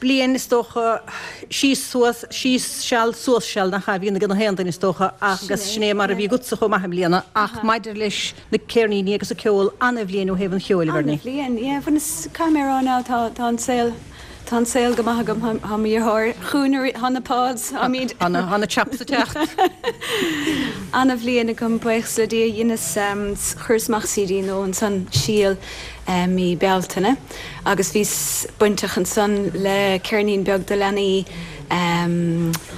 Bliain, is dócha, síos suas, síos seal, suas seal, nach ea, a bhíonn ag na haon duine is dócha, agus sin é mar a bhí agatsa chomh maith i mbliana, ach maidir leis na ceirníní agus an ceol, ana-bhliain ó thaobh an cheoil, a Bhernie. Ana-bhliain, yeah. Bhuel, is, caithfidh mé a rá now, tá, tá an saol, tá an saol go maith agam, tá, tá mo dheartháir chugainn arís, tá na pods, táimid. Tá na, tá na chaps ag teacht. Ana-bhliain agam, buíochas le Dia, dheineas, chuireas amach CD nua ansan, Síol, mí Bealtaine agus bhíos bainteach ansan le ceirnín beag do leanaí,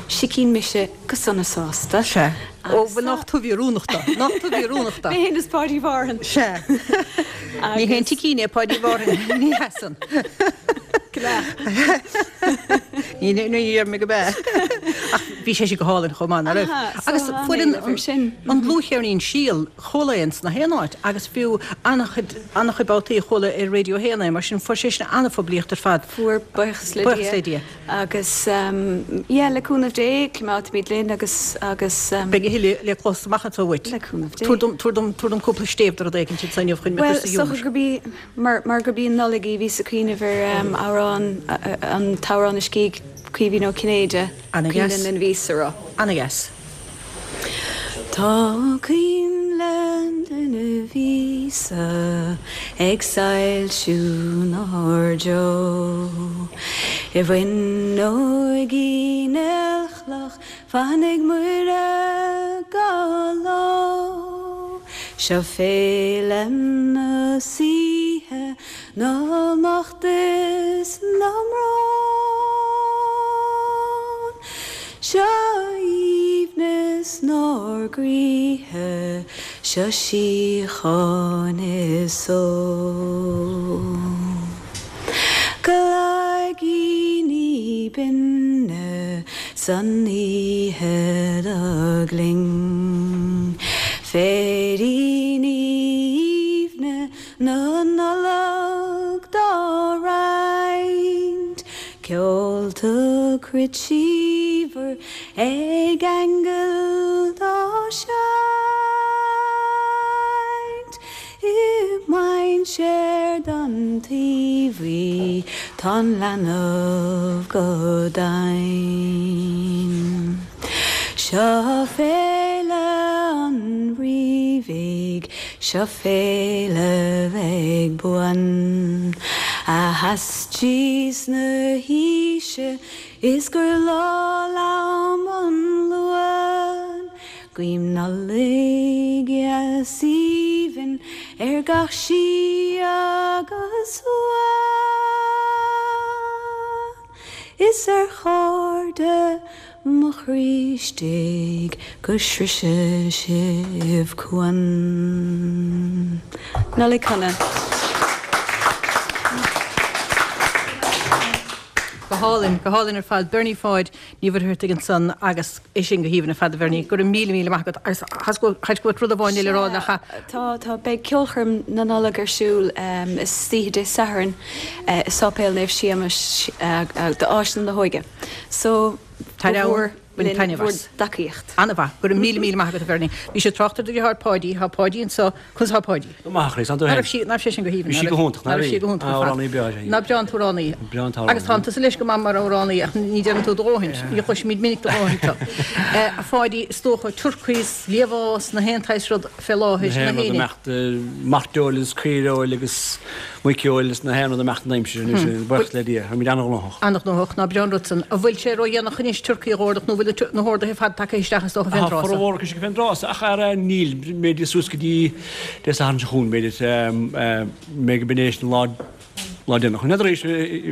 Sicín Mise go Sona Sásta. Sea. Ó, bhuel, nach tú a bhí oiriúnach dó. Nach tú a bhí oiriúnach dó. Mé féin is Páidí Mhárthain. Sea. Ní haon tsicín é Páidí Mhárthain, ní hea san. Ní ní deir mé go b'ea. Ach bhí sé sin go hálainn chomh maith, nach raibh? Agus fuair an an dlúthcheirnín Síol, Chuala é ins na haon áit agus fiú an-chuid, an-chuid babhtaí chuala ar Radio 1 é, mar sin fuair sé sin an-phoiblíocht ar fad. Fuair, buíochas le Dia. Buíochas le Dia. Agus yeah, le cúnamh Dé, coimeádfaimid linn agus, agus. Beidh a thuilleadh le clos amach anseo uait. Le cúnamh Dé. Tabhair dom, tabhair dom, tabhair dom cúpla stéibh de rud éicint anseo inniu chun mé Bhuel, cur sa is dócha ghiúmar. gurb í, mar, mar gurb í an Nollaig í, bhíos ag cuimhneamh ar amhrán, an t-amhrán a scrígh Caoimhín Ó Cinnéide, Ana-dheas. Coinnle na Míosa a rá. Ana-dheas. Tá coinnle na míosa ag soilsiú 'nár dtreo. I bhfuinneoig Uí Néillchloch fanfaidh Muire gach ló. Seo féile na saoithe na mbocht is na mbrón. Seo aoibhneas 'nár gcroíthe, seo síocháin is só. Cloigíní binne san oíche do ghlinn, Féiríní aoibhne na Nollag dá roinnt, Ceol cruit síomhar ag aingil dá seinnt I mainséar don taobhaí tá'n leanbh go deimhin. Seo féile an Rí bhig, seo féile bheidh buan, A sheas trí na haoise is gur lá lom an Luan. Guím Nollaig dheas aoibhinn ar gach sí agus uan, Is ar chairde mo chroí istigh go sroise sibh cuan. Nollaig Shona. Go hálainn, go hálainn ar fad. Bernie Pháid Ní Mhuircheartaigh ansan agus é sin go haoibhinn ar fad a Bhernie. Go raibh míle míle maith agat agus thá's go bhfuil rud amháin eile le rá nach ea? Tá, tá. Beidh ceolchoirm na Nollag ar siúl istoíche Dé Sathairn i Sáipéal Naomh Séamas d'Áiseanna na hÓige. So, Tar ba mhór bain linn taitneamh bhur as. dtacaíocht. An-mhaith. Go raibh míle míle maith agat a Bhernie. Bhí sé ag trácht ar do dheartháir Páidí. Tá Páidí anso. Conas tá Páidí? Go maith, a Chríost. An tú Ná féin? raibh sí, ná raibh sé sin go haoibhinn? Bhí sí go hiontach, Ná ná raibh bhí? sí go hiontach ar fad. Amhránaí breá is ea í. Ná breá an t-amhránaí. Breá an t-amhránaí. Agus tánn tusa leis go maith mar amhránaí ach ní déanann tú do dhóthain. Ní chloisimid minic do dhóthain tu. A Pháidí, is dócha, turcaí, liamhás, na haon tsaghas rud fé láthair, Na na haon rud haon. ag imeacht, mairteoil is caoireoil agus muiceoil is na haon rud ag imeacht an aimsir anois, buíochas le Dia, táimid an-ghnóthach. An-ghnóthach, ná breá an rud san. An bhfuil sé ródhéanach anois turcaí a dh'ordach nó bhfuil na horduithe ar fad tagtha isteach is dócha fén Tá dtráth so? formhór acu sin fén dtráth so ach ara níl, b'fhéidir suas go dtí Dé Sathairn seo chugainn, b'fhéidir, mé go b'in é sin an lá. Lá déanach. N'fheadar arís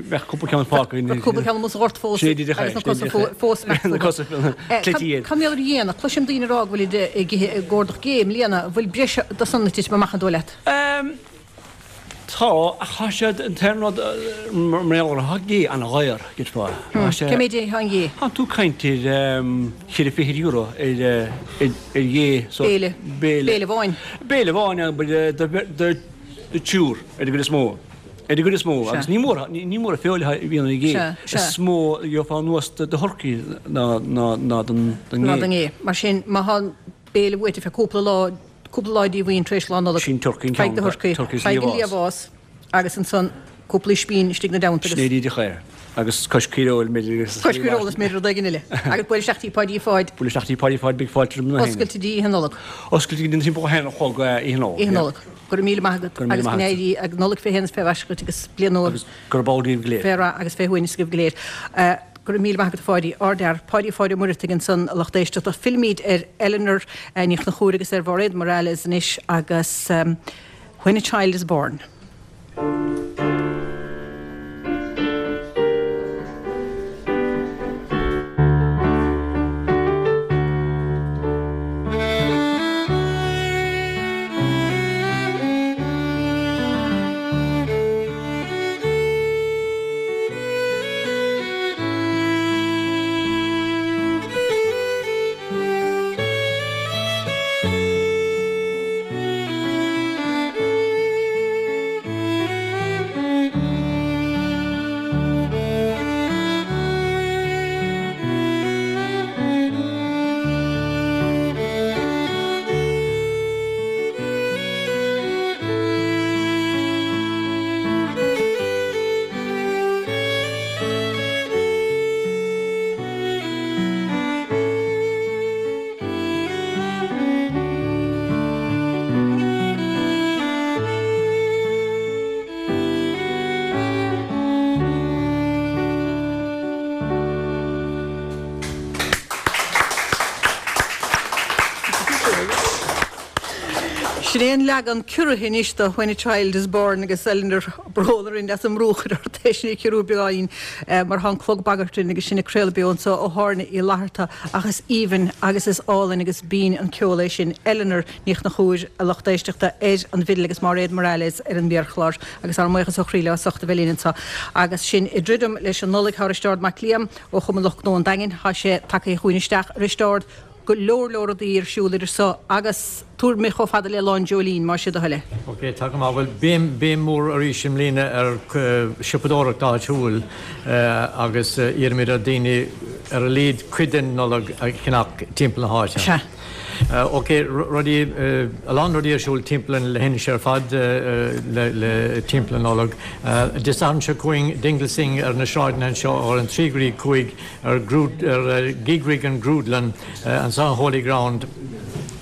bheadh cúpla ceann fágtha. Bheadh cúpla ceann amuigh sa ghort fós agus na cosa fós Na cosa cleití air. Cad mar gheall ar an ghéanna? Cloisim daoine ag rá go bhfuilid ag ithe ag cuardach gé i mbliana. An bhfuil breis de san ag titim amach an dóigh leat? Tá, ach tá siad, an t-aon rud mar gheall orthu, tá gé an-dhaor, cheapfá. Cé méid é an ghé? Tá tú ag caint ar cheithre fichid euro ar ghé. Béile. Béile. Béile amháin. Béile amháin, do thriúr ar an gcuid is mó. Ar an gcuid is mó. Agus ní mór, ní mór an feoil a bhíonn ar an ghé. Is mó a gheofá anuas do thurcaí ná don ghé. Ná don ghé. Mar sin, má tá béile uait ar feadh cúpla lá, cúpla lá díomhaoin tar éis Lá Nollag, Sin turcaí an ceann, faigh do thurcaí, faigh an liamhás agus ansan cúpla ispín istigh ina dteannta agus. Sin é díreach é. Agus cois caoireoil, b'fhéidir agus. Cois caoireoil is b'fhéidir rud éigin eile. Agus buail isteach tí Pháidí Pháid. Buail isteach tí Pháidí Pháid, beidh fáilte roimh na héinne. Oscailte dtí Oíche Nollag. Oscailte go dtí timpeall a haon a chlog Oíche Nollag. Oíche Nollag. Go raibh míle maith agat agus go n-éirí an Nollaig fé shéan is fé mhaise dhuit agus bliain nua. Agus gurb ann daoibh go léir. Fé rath agus fé shuaimhneas agaibh go léir. Go raibh míle maith agat a Pháidí. Ardfhear. Páidí Pháid Ó Muireadhaigh ansan a lucht éisteachta. Fillfimid ar Eleanor Ní Chonchúir agus ar Mháiréad Morales anois agus When a Child is Born. Sin é an leagan ciorraithe anois de When a Child is Born agus Eleanor brón orainn as an mbrú a chur ort é sin a chiorrú beagáinín mar tá an clog ag bagairt linn agus sinn ag craoladh beo anseo ó thábhairne Uí Fhlatharta ach is aoibhinn agus is álainn agus binn an ceol é sin. Eleanor Ní Chonchúir, a lucht éisteachta, ar an bhfidil agus Máiréad Morales ar an mhéarchlár agus ár mbuíochas ó chroí leo as ucht a bheith linn anseo. Agus sinn ag druidim leis an Nollaig, tá Risteárd Mac Liam ó Chumann Lucht Gnó an Daingin, tá sé tagtha chugainn isteach. Risteárd, go leor leor rudaí ar siúl idir seo agus tabhair mé chomh fada le Lá an Dreoilín, más é do thoil é. Ok, tá go maith. Bhuel, béim, béim mór arís i mbliana ar siopadóireacht áitiúil agus iarraimid ar daoine ar a laghad cuid den Nollaig a cheannach timpeall na háite. Sea. Ok, rudaí, a lán rudaí ar siúl timpeall an leithinis ar fad le timpeall na Nollag. Dé Sathairn seo chugainn, Dingle Sing ar na sráideanna anseo ó an 3 go dtí 5 ar ar Gígrig an Grúdlann anseo in Holy Ground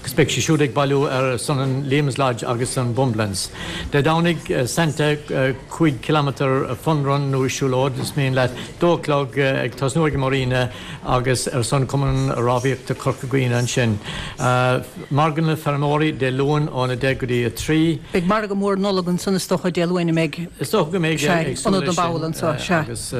agus beidh siad siúd ag bailiú ar son an Liam's Lodge agus an Bumbleance. Dé Domhnaigh, Santa 5 kilometre fun run nó siúlóid is mian leat, dó a chlog ag tosnú ag an Marina agus ar son Cumann Rámhaíochta Corca Dhuibhne ansin. Margadh na Feirmeoirí Dé Luain ón 10 go dtí 3. Beidh margadh mór Nollag ansan is dócha Dé Luain a mbeidh. Is dócha go mbeidh, ag súil leis sin agus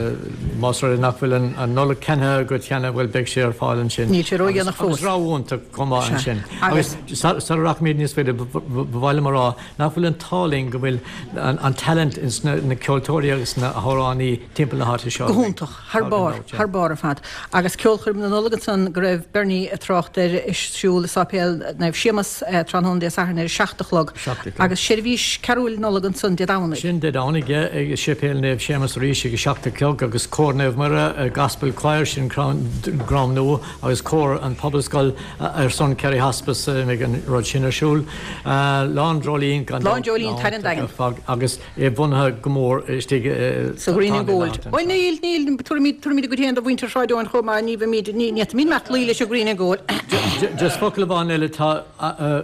más rud é nach bhfuil an Nollaig ceannaithe agat cheana, bhuel beidh sé ar fáil ansin. Níl sé ródhéanach fós. Agus rogha iontach chomh maith ansin. Agus sara rachaimid níos faide, ba mhaith liom a rá nach bhfuil an t-ádh linn go bhfuil an talent ins na ceoltóirí agus na hamhránaí timpeall na háite seo. Go hiontach. Thar barr, thar barr ar fad. Agus ceolchoirm na Nollag ansan go raibh Bernie ag trácht air ar siúl i Sáipéal Naomh Séamas tráthnóna Dé Sathairn ar a 7 a chlog. Agus seirbhís carúil Nollag ansan Dé Domhnaigh. Sin Dé Domhnaigh, yeah, ag Séipéal Naomh Séamas arís ag a 7 a chlog agus Cór Naomh Muire, Gospel Choir, sin Crom Nua agus Cór an Phobalscoil ar son Kerry Hospice a mbeidh an rud sin ar siúl. Lá an Dreoilín gan dabht. Lá an Dreoilín, Tánaí an Daingin. Agus é bunaithe go mór istigh sa Green and Gold. Bhuel níl, níl, tabharfaimid, tabharfaimid a gcuid féin do mhuintir Shráid Eoin chomh maith, ní bheimid, ní fhéadfaimid imeacht luí leis an Green and Gold. Just focal amháin eile, tá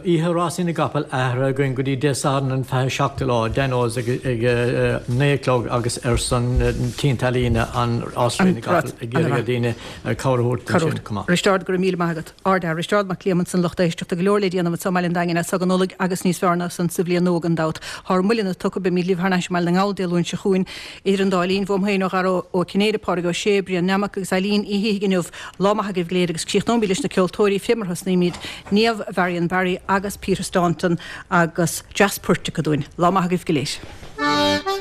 oíche rásaí na gcapall athraithe againn go dtí Dé Sathairn an 27ú lá, Dano's ag ag 9 a chlog agus ar son Tí na hEalaíne an rás na gcapall ag iarraidh ar daoine cabhair a thabhairt ansin chomh maith. Risteárd, go raibh míle maith agat. Ardfhear, Risteárd Mac Liam ansan lucht éisteachta. Tá go leor le déanamh anso i mBaile an Daingin as so go Nollaig agus níos fearr ná san sa bhliain nua gan dabht. Thá ár mbuille tugtha, beimid libh thar n-ais i mBaile na nGall Dé Luain seo chugainn. Idir an dá linn, bhuam féin ó Dhara Ó Cinnéide, Pádraig Ó Sé, Brian Nammock agus Eileen Uí Shíthigh inniu. Lá maith agaibh go léir agus críochnóimid leis na ceoltóirí fé mar a thosnaímid, Niamh Varian Barry agus Peter Staunton agus dreas poirt acu dúinn. Lá maith agaibh go léir.